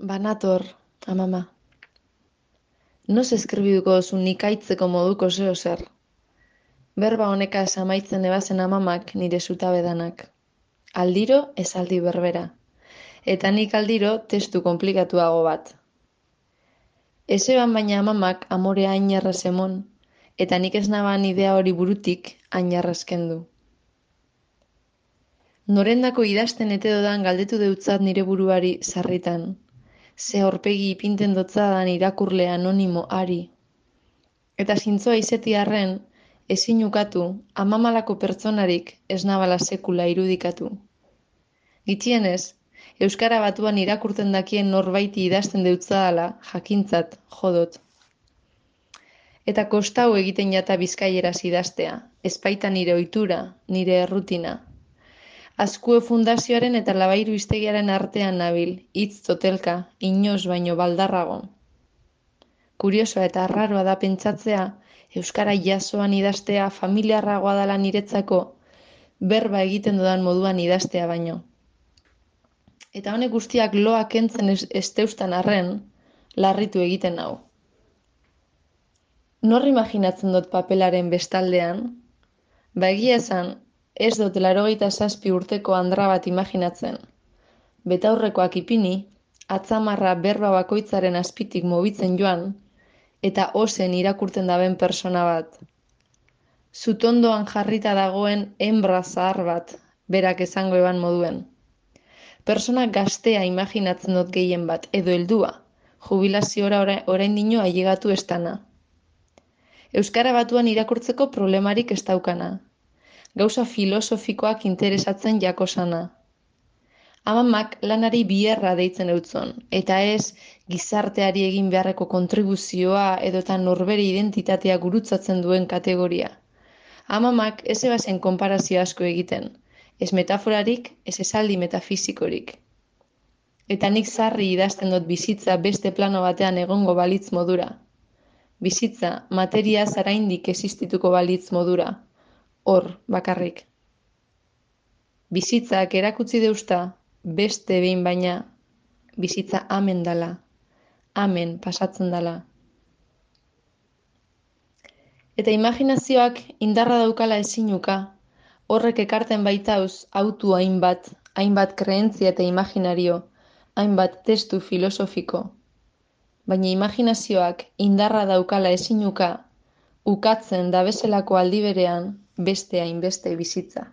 Banator, amama. Noz eskribituko duzu nik aitzeko moduko zeo zer. Berba honekaz amaitzen ebazen amamak nire zutabedanak. Aldiro esaldi berbera. Eta nik aldiro testu komplikatuago bat. Ezeban baina amamak amorea hain jarraz emon, eta nik ez naban idea hori burutik hain jarrazken du. Norendako idazten ete dodan galdetu deutzat nire buruari sarritan. Ze aurpegi ipinten dotzadan irakurle anonimo ari. Eta zintzoa izeti arren, ezin ukatu, amamalako pertsonarik ez nabala sekula irudikatu. Gitxienez, Euskara Batuan irakurten dakien norbaiti idazten deutzadala jakintzat jodot. Eta kostau egiten jata bizkaieraz idaztea, ezpaita nire ohitura, nire errutina. Azkue Fundazioaren eta Labairu Hiztegiaren artean nabil, hitz totelka, inoz baino baldarrago. Kuriosoa eta arraroa da pentsatzea, Euskara jasoan idaztea familiarragoa dela niretzako, berba egiten dudan moduan idaztea baino. Eta honek guztiak loa kentzen ez deustan arren, larritu egiten hau. Nor imaginatzen dut papelaren bestaldean? Ba egia esan, ez dut 87 urteko andra bat imaginatzen. Betaurrekoak ipini, atzamarra berba bakoitzaren azpitik mobitzen joan, eta ozen irakurten daben persona bat. Zutondoan jarrita dagoen hembra zahar bat, berak esango eban moduen. Persona gaztea imaginatzen dut gehien bat, edo heldua, jubilaziora oraindino ailegatu estana. Euskara Batuan irakurtzeko problemarik ez daukana. Gauza filosofikoak interesatzen jakosana. Amamak lanari bierra deitzen eutzon, eta ez gizarteari egin beharreko kontribuzioa edota norbere identitatea gurutzatzen duen kategoria. Amamak ez ebazen konparazio asko egiten, ez metaforarik, ez esaldi metafisikorik. Eta nik sarri idazten dut bizitza beste plano batean egongo balitz modura. Bizitza materia zaraindik existituko balitz modura. Hor, bakarrik. Bizitzak erakutsi deusta, beste behin baina, bizitza amen dala, amen pasatzen dala. Eta imaginazioak indarra daukala ezinuka, horrek ekarten baitauz autu hainbat kreentzia eta imaginario, hainbat testu filosofiko. Baina imaginazioak indarra daukala ezinuka, ukatzen da bezalako aldi berean beste hainbeste bizitza.